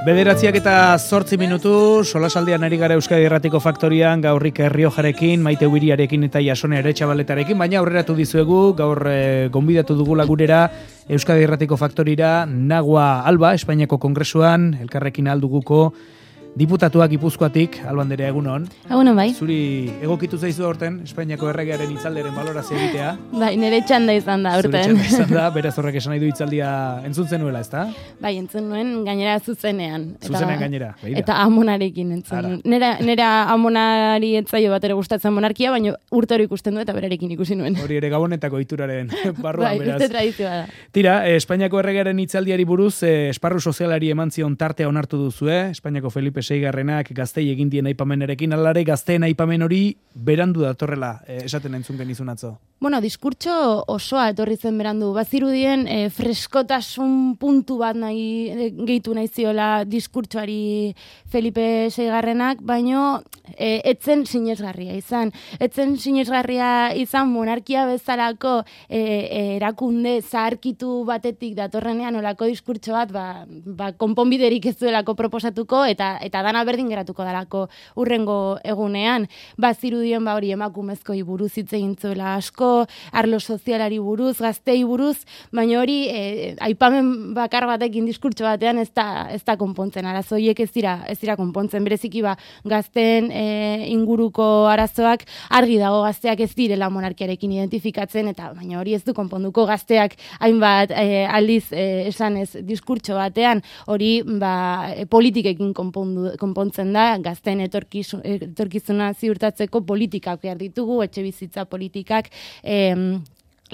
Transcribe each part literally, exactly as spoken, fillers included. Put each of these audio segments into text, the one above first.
Bederatziak eta zortzi minutu, solasaldian ari gara Euskadi Irratiko Faktorian, gaurrik Riojarekin, Maite Ubiriarekin eta Jasone Aretxabaletarekin, baina aurreratu dizuegu, gaur e, gonbidatu dugula gurera Euskadi Irratiko Faktorira, Nagua Alba, Espainiako Kongresuan, elkarrekin alduguko, diputatuak Gipuzkoatik, Alba Anderea, egunon. Egunon, bai. Zuri egokitu zaizu aurten, Espainiako erregearen hitzalderen balorazio egitea. Bai, nire txanda izan da aurten. Zure txanda izan da, beraz horrek esan nahi du hitzaldia entzun zenuela, ezta? Bai, entzun nuen gainera zuzenean. Zuzenean gainera, begira. Eta amonarekin entzun. Nera, nera amonari etzaio bat ere gustatzen monarkia, baina urte hori ikusten du eta berarekin ikusi nuen. Hori ere gabonetako ohituraren barruan, bai, beraz. beste tradizioa da. Tira, eh, Espainiako erregearen hitzaldiari buruz, eh, esparru sozialari eman zion tartea onartu duzue, Espainiako Felipe seigarrenak gaztei egin dien aipamenerekin, alare gazteen aipamen hori berandu datorrela, eh, esaten entzun genizun atzo. Bueno, diskurtso osoa etorri zen berandu. Bazirudien eh, freskotasun puntu bat nahi eh, gehitu nahi ziola diskurtsoari Felipe seigarrenak, baino eh, etzen sinesgarria izan. Etzen sinesgarria izan monarkia bezalako eh, erakunde zaharkitu batetik datorrenean olako diskurtso bat, ba, ba, konponbiderik ez duelako proposatuko eta eta dana berdin geratuko dalako urrengo egunean. Bazirudien ba hori emakumezkoi buruz hitz egin zuela asko, arlo sozialari buruz, gaztei buruz, baina hori e, aipamen bakar batekin diskurtso batean ez da, ez da konpontzen. Arazo horiek ez dira, ez dira konpontzen. Bereziki ba gazteen e, inguruko arazoak argi dago, gazteak ez direla monarkiarekin identifikatzen, eta baina hori ez du konponduko. Gazteak hainbat e, aldiz e, esanez diskurtso batean hori ba, e, politikekin konpondu, konpontzen da, gazteen etorkizuna ziurtatzeko politikak behar ditugu, etxe bizitza politikak, Em,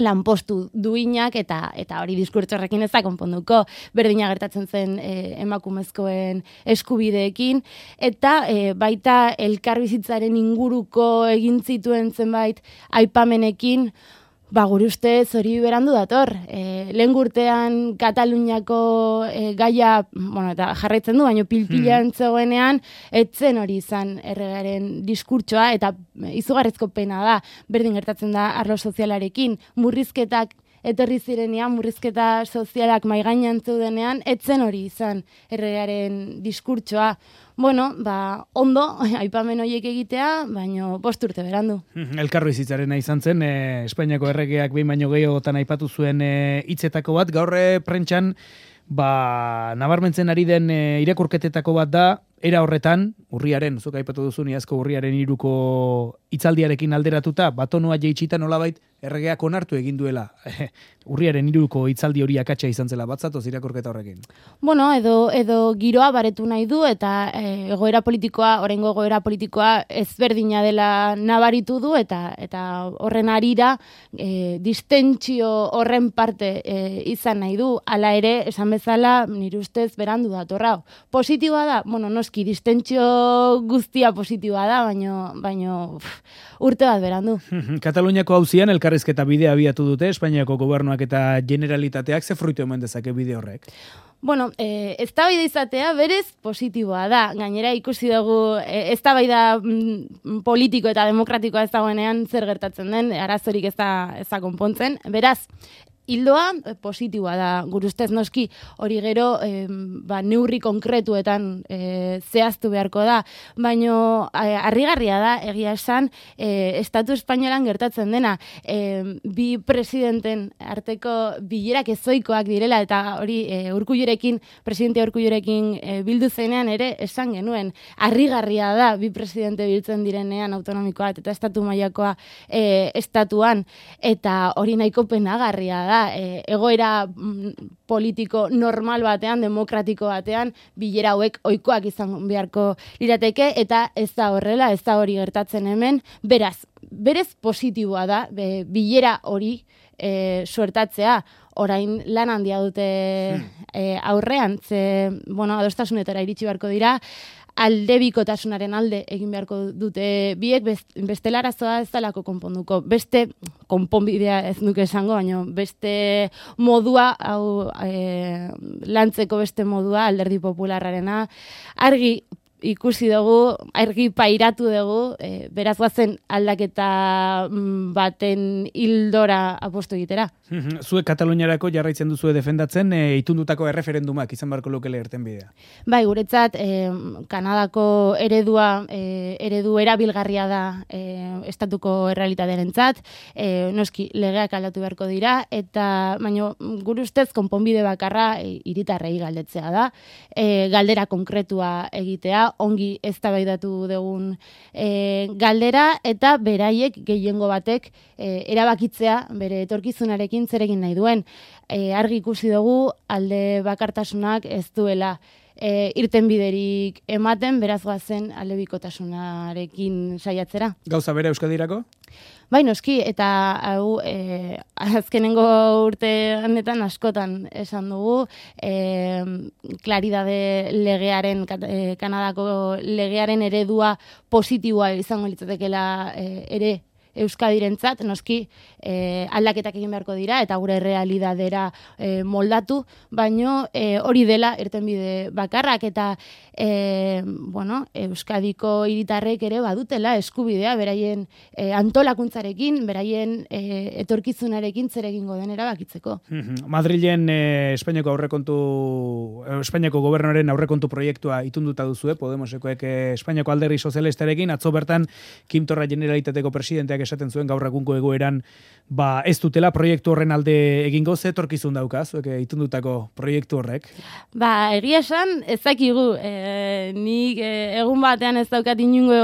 lanpostu duinak eta eta hori diskurtso horrekin ez da konponduko. Berdina gertatzen zen e, emakumezkoen eskubideekin eta e, baita elkarbizitzaren inguruko egin zituen zenbait aipamenekin. Ba, gure ustez hori berandu dator. E, lehen urtean Kataluniako e, gaia, bueno, eta jarraitzen du, baina pilpilean hmm. zegoenean, etzen hori izan erregaren diskurtsoa, eta izugarrizko pena da, berdin gertatzen da arlo sozialarekin, murrizketak etorri zirenean, murrizketa sozialak maigainan zeudenean, etzen hori izan erregaren diskurtsoa. Bueno, ba, ondo, aipamen horiek egitea, baino bost urte berandu. Elkarbizitzarena izan zen, eh, Espainiako erregeak behin baino gehiagotan aipatu zuen eh, hitzetako bat, gaur prentsan, ba, nabarmentzen ari den eh, irakurketetako bat da, era horretan, urriaren, zuk aipatu duzu iazko urriaren hiruko hitzaldiarekin alderatuta, batonua jeitsita nolabait erregeak onartu egin duela. Urriaren hiruko hitzaldi hori akatsa izan zela, batzatoz irakurketa horrekin. Bueno, edo edo giroa baretu nahi du eta e, egoera politikoa, oraingo egoera politikoa ezberdina dela nabaritu du eta eta horren arira e, distentsio horren parte e, izan nahi du. Hala ere, esan bezala, nire ustez berandu datorra. Positiboa da, bueno, noski distentsio guztia positiboa da, baino baino uf, urte bat berandu. Kataluniako auzian elkarrizketa bidea abiatu dute Espainiako gobernuak eta generalitateak, ze fruitu eman dezake bide horrek? Bueno, eh, eztabaida izatea berez positiboa da. Gainera ikusi dugu eh, eztabaida mm, politiko eta demokratikoa ez dagoenean zer gertatzen den, arazorik ez da, ez da konpontzen. Beraz, hildoa positiboa da, gure ustez noski hori gero e, ba, neurri konkretuetan e, zehaztu beharko da, baino e, harrigarria da, egia esan, e, Estatu Espainolan gertatzen dena, e, bi presidenten arteko bilerak ezoikoak direla, eta hori e, Urkullurekin, presidente Urkullurekin e, bildu zenean ere esan genuen, harrigarria da bi presidente biltzen direnean autonomikoa eta estatu mailakoa e, estatuan, eta hori nahiko penagarria da. E, egoera mm, politiko normal batean, demokratiko batean, bilera hauek ohikoak izan beharko lirateke, eta ez da horrela, ez da hori gertatzen hemen. Beraz, berez positiboa da, be, bilera hori e, suertatzea, orain lan handia dute e, aurrean, ze, bueno, adostasunetara iritsi beharko dira, aldebikotasunaren alde egin beharko dute biek, beste larazoa ez dalako konponduko. Beste konponbidea ez nuke esango, baina beste modua, hau e, lantzeko beste modua, Alderdi Popularrarena, argi ikusi dugu, argi pairatu dugu, e, beraz guazen aldaketa baten hildora apostu egitera. Zuek Kataluniarako jarraitzen duzue defendatzen, e, itundutako erreferendumak izan barko lukele erten bidea. Bai, guretzat, e, Kanadako eredua, e, eredu erabilgarria da e, estatuko errealitatearentzat, e, noski legeak aldatu beharko dira, eta baino gure ustez konponbide bakarra e, hiritarrei galdetzea da, e, galdera konkretua egitea, ongi eztabaidatu dugun e, galdera, eta beraiek gehiengo batek e, erabakitzea bere etorkizunarekin zer egin nahi duen. E, argi ikusi dugu alde bakartasunak ez duela e, irtenbiderik ematen, beraz goazen aldebikotasunarekin saiatzera. Gauza bere Euskadirako? Bai, noski, eta hau e, azkenengo urte honetan askotan esan dugu, e, klaridade legearen, e, Kanadako legearen eredua positiboa izango litzatekeela e, ere Euskadirentzat, noski eh, aldaketak egin beharko dira eta gure realidadera eh, moldatu, baino eh, hori dela irtenbide bakarrak eta eh, bueno, Euskadiko hiritarrek ere badutela eskubidea beraien eh, antolakuntzarekin, beraien eh, etorkizunarekin zer egingo den erabakitzeko. Madrilen eh, Espainiako aurrekontu Espainiako gobernuaren aurrekontu proiektua itunduta duzue, Podemosekoek eh, Espainiako alderdi sozialistarekin, atzo bertan Quim Torra Generalitateko presidenteak esaten zuen gaur egungo egoeran ba ez dutela proiektu horren alde egingo, ze etorkizun dauka zuek itundutako proiektu horrek? Ba, egia esan ez dakigu, e, nik e, egun batean ez daukat inungo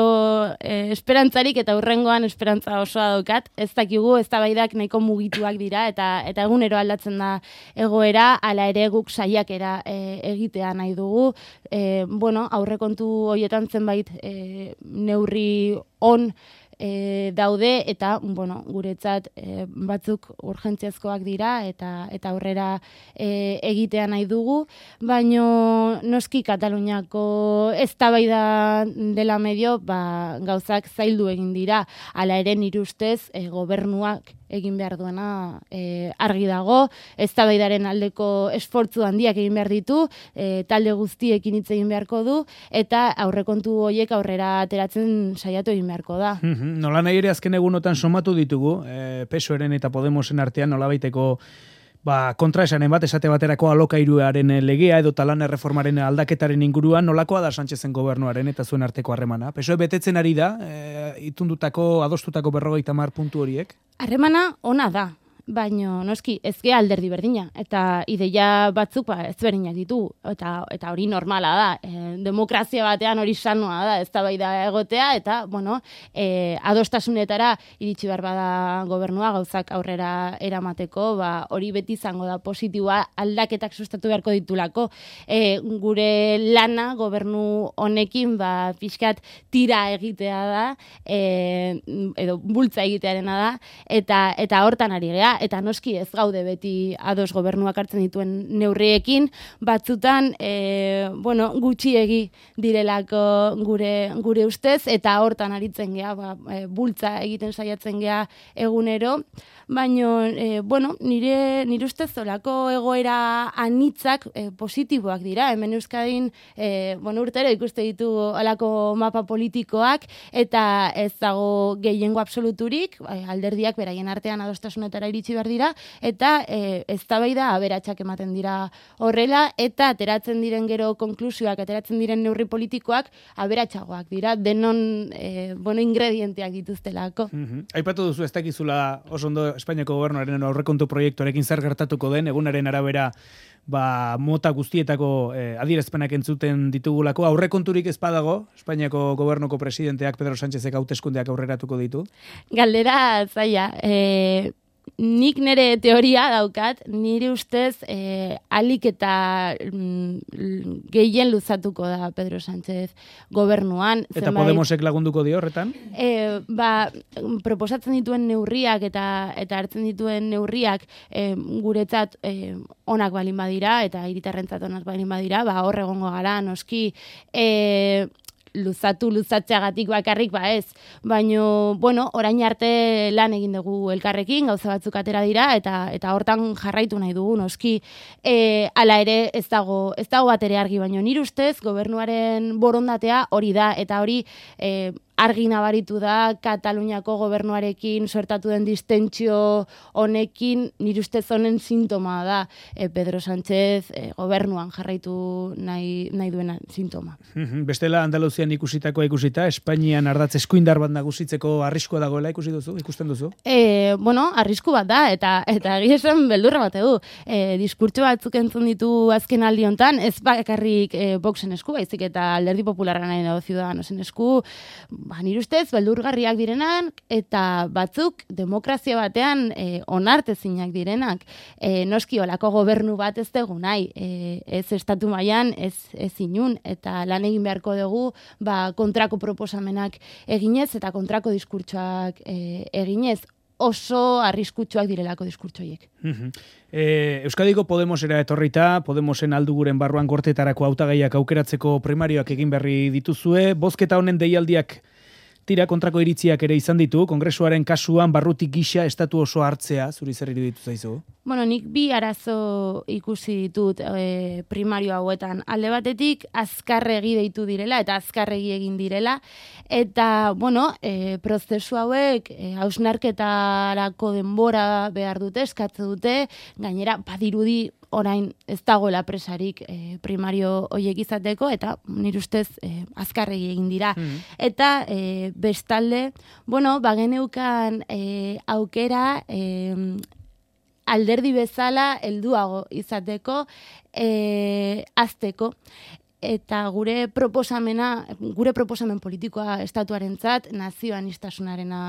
e, esperantzarik eta hurrengoan esperantza osoa daukat, ez dakigu eztabaidak nahiko mugituak dira eta eta egunero aldatzen da egoera, hala ere guk saiakera e, egitea nahi dugu. E, bueno, aurrekontu horietan zenbait e, neurri on E, daude eta bueno, guretzat e, batzuk urgentziazkoak dira eta eta aurrera e, egitea nahi dugu, baino noski Kataluniako eztabaida dela medio ba, gauzak zaildu egin dira, hala ere nire ustez e, gobernuak egin behar duena e, argi dago, eztabaidaren aldeko esfortzu handiak egin behar ditu, e, talde guztiekin hitz egin beharko du eta aurrekontu horiek aurrera ateratzen saiatu egin beharko da. Nola nahi ere azken egunotan somatu ditugu, e, P S O Eren eta Podemosen artean nolabaiteko ba, kontraesanen bat, esate baterako alokairuaren legea edo lan erreformaren aldaketaren inguruan, nolakoa da Sánchezen gobernuaren eta zuen arteko harremana? P S O E betetzen ari da, e, itundutako, adostutako berrogeita hamar puntu horiek? Harremana ona da. Baino noski ezke alderdi berdina eta ideia batzuk ba ezberdinak ditu eta eta hori normala da. E, demokrazia batean hori sanoa da, eztabaida egotea eta bueno, e, adostasunetara iritsi behar bada gobernua gauzak aurrera eramateko, ba hori beti izango da positiboa, aldaketak sustatu beharko ditulako. E, gure lana gobernu honekin ba pixkat tira egitea da, e, edo bultza egitearena da eta eta hortan ari gea. Eta noski ez gaude beti ados gobernuak hartzen dituen neurriekin, batzutan e, bueno, gutxiegi direlako gure gure ustez eta hortan aritzen gea, ba, e, bultza egiten saiatzen gea egunero, baino e, bueno, nire nire ustez olako egoera anitzak e, positiboak dira. Hemen Euskadin e, bueno, urtero ikuste ditu olako mapa politikoak eta ez dago gehiengo absoluturik, alderdiak beraien artean adostasunetara iritsi behar dira, eta e, eztabaida aberatsak ematen dira horrela, eta ateratzen diren gero konklusioak, ateratzen diren neurri politikoak aberatsagoak dira, denon e, bueno, ingredienteak dituztelako. Mm-hmm. Aipatu duzu ez dakizula oso ondo Espainiako gobernuaren aurrekontu proiektuarekin zer gertatuko den, egunaren arabera ba, mota guztietako eh, adierazpenak entzuten ditugulako, aurrekonturik ez badago, Espainiako gobernuko presidenteak Pedro Sánchezek hauteskundeak aurreratuko ditu? Galdera zaila, e, nik nire teoria daukat, nire ustez e, alik eta mm, gehien luzatuko da Pedro Sánchez gobernuan. Eta zenbait, Podemosek lagunduko dio horretan? E, ba, proposatzen dituen neurriak eta eta hartzen dituen neurriak e, guretzat e, onak balin badira eta hiritarrentzat onak balin badira, ba hor egongo gara, noski e, luzatu luzatzeagatik bakarrik ba ez. Baino, bueno, orain arte lan egin dugu elkarrekin, gauza batzuk atera dira eta eta hortan jarraitu nahi dugu noski. E, hala ere ez dago ez dago bat ere argi, baino nire ustez gobernuaren borondatea hori da eta hori e, argi nabaritu da Kataluniako gobernuarekin suertatu den distentsio honekin nire ustez honen sintoma da e, Pedro Sánchez e, gobernuan jarraitu nahi, nahi duena sintoma. Bestela Andaluzian ikusitako ikusita, Espainian ardatz eskuindar bat nagusitzeko arriskua dagoela ikusi duzu, ikusten duzu? E, bueno, arrisku bat da, eta eta egia esan beldurra bat du. E, diskurtso batzuk entzun ditu azken aldi hontan, ez bakarrik e, Voxen esku, baizik eta Alderdi Popularra nahi dago Ciudadanosen esku, ba, nire ustez, beldurgarriak direnak, eta batzuk demokrazia batean e, onartezinak direnak. E, noski olako gobernu bat ez dugu nahi, e, ez estatu mailan ez, ez inun, eta lan egin beharko dugu ba, kontrako proposamenak eginez, eta kontrako diskurtsoak e, eginez, oso arriskutsuak direlako diskurtsoiek. Uh-huh. E, Euskadiko Podemosera etorrita, Podemosen alduguren barruan gortetarako hautagaiak aukeratzeko primarioak egin berri dituzue, bozketa honen deialdiak tira kontrako iritziak ere izan ditu, kongresuaren kasuan barrutik gisa estatu oso hartzea, zuri zer iruditu zaizu? Bueno, nik bi arazo ikusi ditut e, primario hauetan. Alde batetik, azkarregi deitu direla, eta azkarregi egin direla, eta, bueno, e, prozesu hauek e, hausnarketarako denbora behar dute, eskatze dute, gainera, badirudi, orain ez dagoela presarik e, primario hoiek izateko, eta nire ustez e, azkarregi egin dira. Mm. Eta e, bestalde, bueno, bageneukan e, aukera e, alderdi bezala helduago izateko, e, azteko. Eta gure proposamena, gure proposamen politikoa estatuarentzat nazioanistasunarena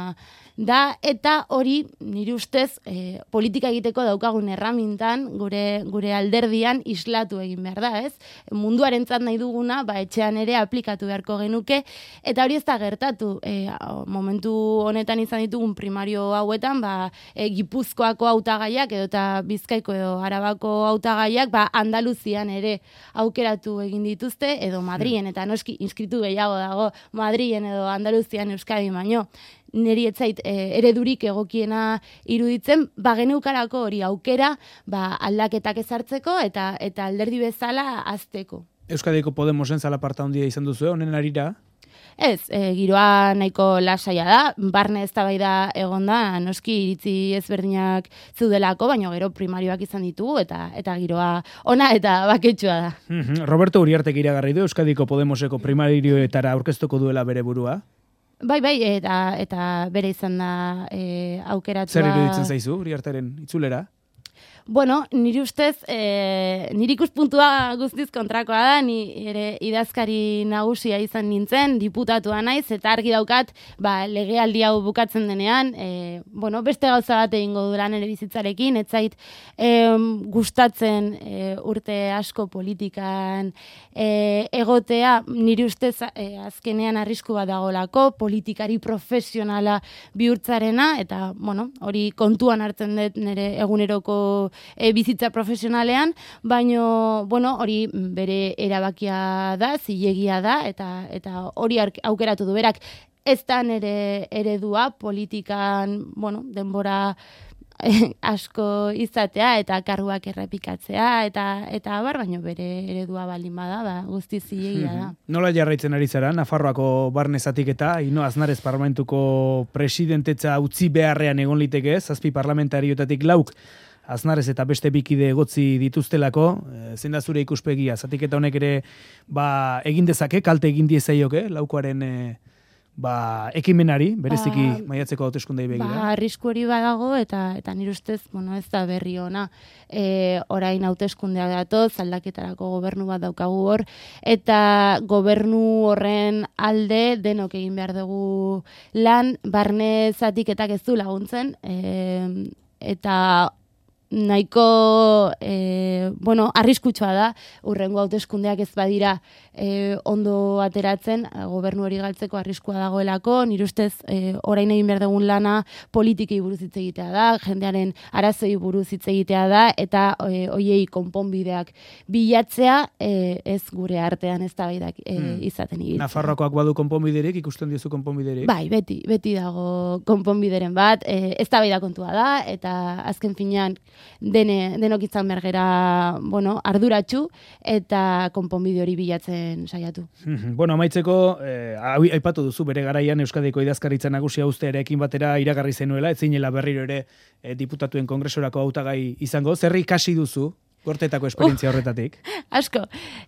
da, eta hori nire ustez e, politika egiteko daukagun erramintan gure gure alderdian islatu egin behar da, ez? Munduarentzat nahi duguna, ba etxean ere aplikatu beharko genuke, eta hori ez da gertatu. E, momentu honetan izan ditugun primario hauetan, ba e, Gipuzkoako hautagaiak edo eta Bizkaiko edo Arabako hautagaiak, ba Andaluzian ere aukeratu egin ditu dituzte, edo Madrien, eta noski inskritu gehiago dago Madrien edo Andaluzian Euskadi baino. Neri etzait e, eredurik egokiena iruditzen, bageneukarako hori aukera ba, aldaketak ezartzeko eta eta alderdi bezala azteko. Euskadiko Podemosen zalaparta handia izan duzu, honen arira? Ez, e, giroa nahiko lasaia da, barne eztabaida egon da, noski iritzi ezberdinak zeudelako, baina gero primarioak izan ditugu, eta eta giroa ona eta baketsua da. Roberto Uriartek iragarri du Euskadiko Podemoseko primarioetara aurkeztuko duela bere burua? Bai, bai, eta eta bere izan da e, aukeratua. Zer iruditzen zaizu Uriarteren itzulera? Bueno, niri ustez, e, niri ikuspuntua guztiz kontrakoa da, ni ere idazkari nagusia izan nintzen, diputatua naiz, eta argi daukat, ba, legealdi hau bukatzen denean, e, bueno, beste gauza bat egingo duran ere bizitzarekin, ez zait e, gustatzen e, urte asko politikan e, egotea, niri ustez e, azkenean arrisku bat dagolako, politikari profesionala bihurtzarena, eta, bueno, hori kontuan hartzen dut nire eguneroko E, bizitza profesionalean, baino, bueno, hori bere erabakia da, zilegia da, eta eta hori aukeratu du berak. Ez da nere eredua politikan, bueno, denbora eh, asko izatea eta karguak errepikatzea, eta eta abar, baino bere eredua baldin bada, ba, guztiz zilegia da. Nola jarraitzen ari zara, Nafarroako barne zatiketa, Ino Aznarez parlamentuko presidentetza utzi beharrean egon liteke, zazpi parlamentarioetatik lauk, Aznarez eta beste bikide egotzi dituztelako, zein da zure ikuspegia, zatiketa honek ere ba, egin dezake, kalte egin diezaioke, laukoaren e, ba, ekimenari, bereziki ba, maiatzeko hauteskundei begira. Ba, arrisku hori badago, eta eta nire ustez, bueno, ez da berri ona, e, orain hauteskundea datoz, aldaketarako gobernu bat daukagu hor, eta gobernu horren alde denok egin behar dugu lan, barne zatiketak ez du laguntzen, e, eta nahiko e, e, bueno, arriskutsua da, urrengo hauteskundeak ez badira e, ondo ateratzen, gobernu hori galtzeko arriskua dagoelako, nire ustez e, orain egin behar dugun lana politikei buruz hitz egitea da, jendearen arazoi buruz hitz egitea da, eta e, oiei konponbideak bilatzea e, ez gure artean eztabaidak e, hmm. izaten ibiltzea. Nafarroakoak badu konponbiderik, ikusten diozu konponbiderik? Bai, beti, beti dago konponbideren bat, e, eztabaida kontua da, eta azken finean dene, denok izan bergera, bueno, arduratsu, eta konponbide hori bilatzen saiatu. Bueno, amaitzeko, eh, aipatu duzu bere garaian Euskadiko idazkaritza nagusia ustearekin batera iragarri zenuela, ez zinela berriro ere eh, diputatuen kongresorako hautagai izango. Zer ikasi duzu gortetako esperientzia horretatik? Uh, asko,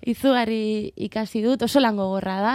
izugarri ikasi dut, oso lan gogorra da,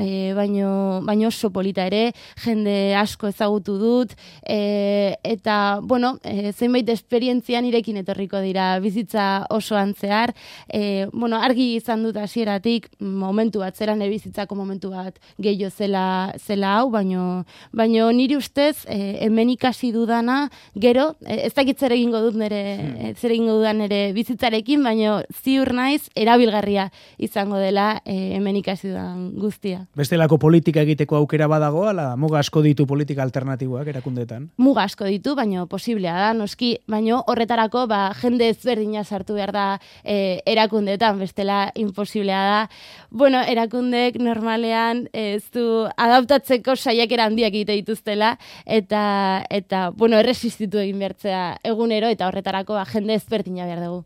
e, baino, baino oso polita ere, jende asko ezagutu dut, e, eta, bueno, e, zenbait esperientzian irekin etorriko dira bizitza osoan zehar, e, bueno, argi izan dut hasieratik momentu bat, zeran bizitzako momentu bat gehiago zela, zela hau, baino, baino niri ustez, e, hemen ikasi dudana, gero, e, ez dakit zer egingo dut nire, hmm. zer egingo dudan nire bizitza zarekin, baino ziur naiz erabilgarria izango dela e, hemen ikasi dudan guztia. Bestelako politika egiteko aukera badago, ala muga asko ditu politika alternatiboak erakundeetan? Muga asko ditu, baino posiblea da, noski, baino horretarako ba, jende ezberdina sartu behar da e, erakundeetan, bestela imposiblea da. Bueno, erakundek normalean ez du adaptatzeko saiakera handiak egite dituztela, eta, eta bueno, erresistitu egin behartzea egunero, eta horretarako ba, jende ezberdina behar dugu.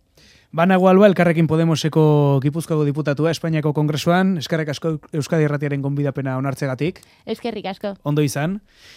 Banago Alba, Elkarrekin Podemoseko Gipuzkoako diputatua Espainiako Kongresuan, eskerrik asko Euskadi Irratiaren gonbidapena onartzegatik. Eskerrik asko. Ondo izan.